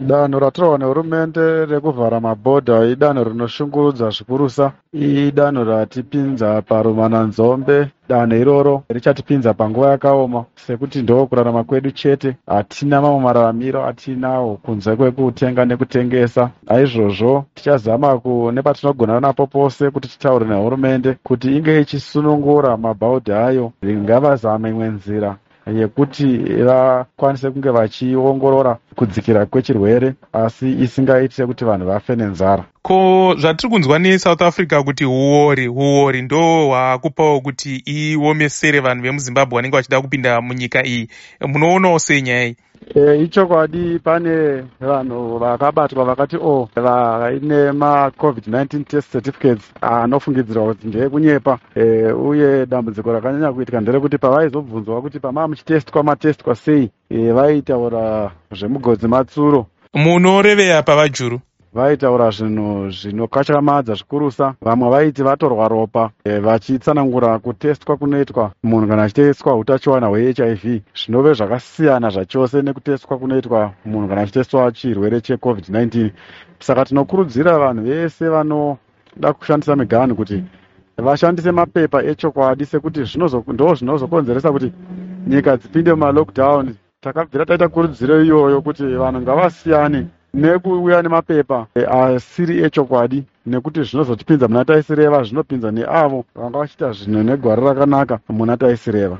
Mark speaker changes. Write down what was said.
Speaker 1: Danho ratorwa nehurumende rekuvhara mabhodha idanho rinoshungurudza zvikurusa. Idanho ratipinza parumananzombe. Danho iroro richatipinza panguva yakaoma, sekuti ndo kurarama kwedu chete. Hatina mamwe mararamiro atinawo kunze kwekutenga nekutengesa. Naizvozvo tichazama nepatinogona napo pose kuti titaure nehurumende kuti inge ichisunungura mabhaudhi ayo. Ngavazame imwe nzira yekuti vakwanise kunge vachiongorora kudzikira kwechirwere, asi isingaiti sekuti vanhu vafe nenzara.
Speaker 2: Ko zvatiri kunzwa neSouth Africa kuti huori huori ndo hwakupawo kuti iomesere vanhu vemuZimbabwe vanenge vachida kupinda munyika iyi, munoonawo sei nyaya iyi?
Speaker 1: Ichokwadi, pane vanhu vakabatwa vakati o vaine maCovid-19 test certificates anofungidzirwa kuti ndeekunyepa. Uye dambudziko rakanyanya kuitika nderekuti pavaizobvunzwa kuti pamaa muchitestwa, matestwa sei, vaitaura zvemugodzi matsuro.
Speaker 2: Munorevei apa, VaJuru?
Speaker 1: Vaitaura zvinhu zvinokatyamadza zvikurusa. Vamwe vaiti vatorwa ropa, vachitsanangura kutestwa kunoitwa munhu kana achitestwa utachiwana hweHIV, zvinove zvakasiyana zvachose nekutestwa kunoitwa munhu kana achitestwa chirwere cheCovid-19. Saka tinokurudzira vanhu vese vanoda kushandisa miganhu kuti vashandise mapepa echokwadi, sekuti ndo zvinozokonzeresa kuti nyika dzipinde mumalockdown. Takabvira taita kurudziro iyoyo kuti vanhu ngavasiyane nekuuya nemapepa asiri echokwadi, nekuti zvinozotipinza muna taisireva, zvinopinza neavo vanga vachiita zvinhu negwara rakanaka muna taisireva.